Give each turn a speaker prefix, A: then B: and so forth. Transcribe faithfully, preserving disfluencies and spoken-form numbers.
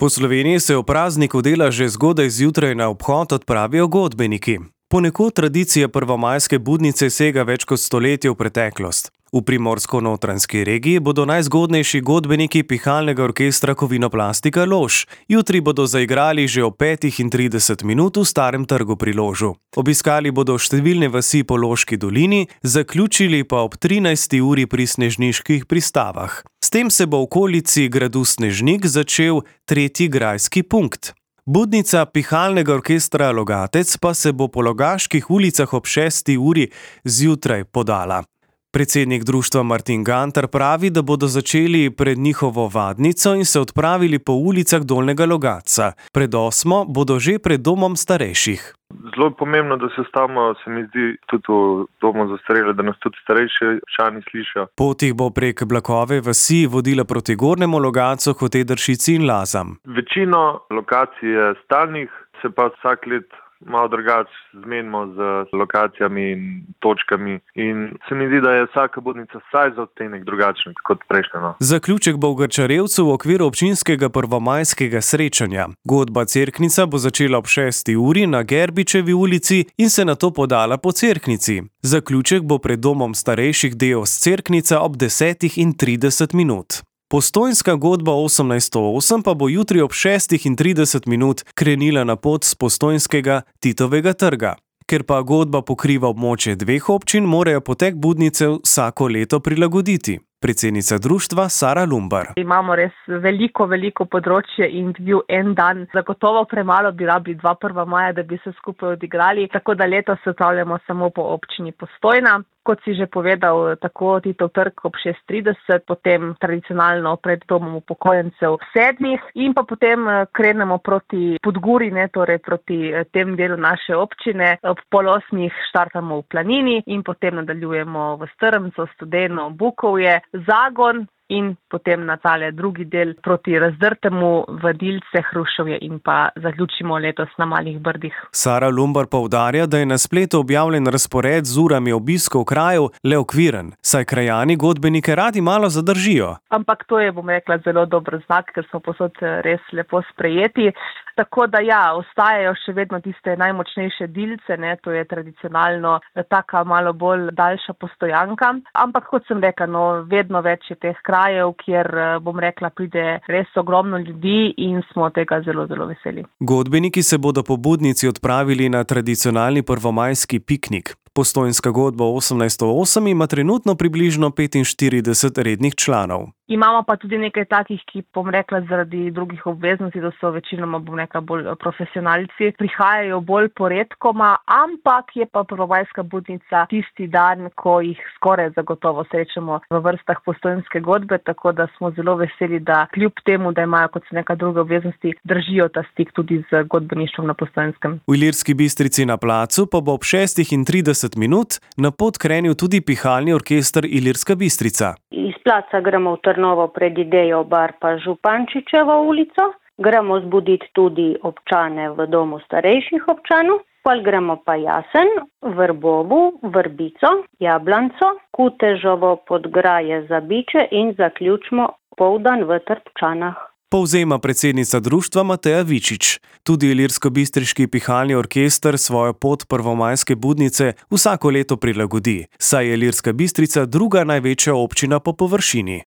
A: Po Sloveniji se v prazniku dela že zgodaj zjutraj na obhod odpravijo godbeniki. Ponekod tradicija prvomajske budnice sega več kot stoletje v preteklost. V Primorsko-notranjski regiji bodo najzgodnejši godbeniki pihalnega orkestra Kovinoplastika Lož. Jutri bodo zaigrali že ob petih in trideset minut v Starem trgu pri Ložu. Obiskali bodo številne vasi po Loški dolini, zaključili pa ob trinajsti uri pri Snežniških pristavah. S tem se bo v okolici gradu Snežnik začel tretji grajski punkt. Budnica pihalnega orkestra Logatec pa se bo po Logaških ulicah ob šesti uri zjutraj podala. Predsednik društva Martin Gantar pravi, da bodo začeli pred njihovo vadnico in se odpravili po ulicah Dolnjega Logatca. Pred osmo bodo že pred domom starejših.
B: Zelo pomembno, da se stavimo, se mi zdi, tudi v domu za starejše, da nas tudi starejši občani slišijo.
A: Pot jih bo prek Blakove vasi vodila proti Gornjemu Logatcu, Hotedršici in Lazam.
B: Večino lokacij je stalnih, se pa vsak let malo drugače zmenimo z lokacijami in točkami in se mi zdi, da je vsaka budnica vsaj za odtenek drugačna kot prejšnja. No.
A: Zaključek bo v Grčarevcu v okviru občinskega prvomajskega srečanja. Godba Cerknica bo začela ob šesti uri na Gerbičevi ulici in se nato podala po Cerknici. Zaključek bo pred domom starejših Deos Cerknica ob desetih in trideset minut. Postojnska godba osemnajststo osem pa bo jutri ob šestih in trideset minut krenila na pot s Postojnskega Titovega trga. Ker pa godba pokriva območje dveh občin, morajo potek budnice vsako leto prilagoditi. Predsednica društva Sara Lumbar.
C: Imamo res veliko, veliko področje in bil en dan. Zagotovo premalo bi rabili dva prva maja, da bi se skupaj odigrali, tako da letos se odpravljamo samo po občini Postojna. Kot si že povedal, tako Titov trg ob šest trideset, potem tradicionalno pred domom upokojencev sedmih in pa potem krenemo proti Podguri, ne, torej proti tem delu naše občine. Ob pol osmih štartamo v Planini in potem nadaljujemo v Strmcu, Studeno, Bukovje, Zagon in potem na tale drugi del proti Razdrtemu, Vadilce, Hrušovje in pa zaključimo letos na Malih Brdih.
A: Sara Lumbar poudarja, da je na spletu objavljen razpored z urami obiskov krajev le okviren, saj krajani godbenike radi malo zadržijo.
C: Ampak to je, bom rekla, zelo dober znak, ker smo posod res lepo sprejeti. Tako da ja, ostajajo še vedno tiste najmočnejše dilce, ne, to je tradicionalno taka malo bolj daljša postojanka. Ampak kot sem rekla, no, vedno več je teh krajev, kjer, bom rekla, pride res ogromno ljudi in smo tega zelo, zelo veseli.
A: Godbeniki se bodo po budnici odpravili na tradicionalni prvomajski piknik. Postojnska godba osemnajststo osem ima trenutno približno petinštirideset rednih članov.
C: Imamo pa tudi nekaj takih, ki, bom rekla, zaradi drugih obveznosti, da so večinoma, bom rekla, bolj profesionalci, prihajajo bolj poredkoma, ampak je pa prvomajska budnica tisti dan, ko jih skoraj zagotovo srečamo v vrstah Postojnske godbe, tako da smo zelo veseli, da kljub temu, da imajo kot neka druge obveznosti, držijo ta stik tudi z godbeništvom na Postojnskem.
A: V Ilirski Bistrici na placu pa bo ob šestih in trideset minut na pot krenil tudi pihalni orkester Ilirska Bistrica.
D: Iz placa gremo v Trnovo pred Idejo bar pa Župančičevo ulico. Gremo zbuditi tudi občane v domu starejših občanov. Pol gremo pa Jasen, Vrbovu, Vrbico, Jablanco, Kutežovo, Podgraje, Zabiče in zaključimo poldan v Trpčanah.
A: Povzema predsednica društva Mateja Vičič. Tudi Ilirsko-bistriški pihalni orkester svojo pot prvomajske budnice vsako leto prilagodi, saj je Ilirska Bistrica druga največja občina po površini.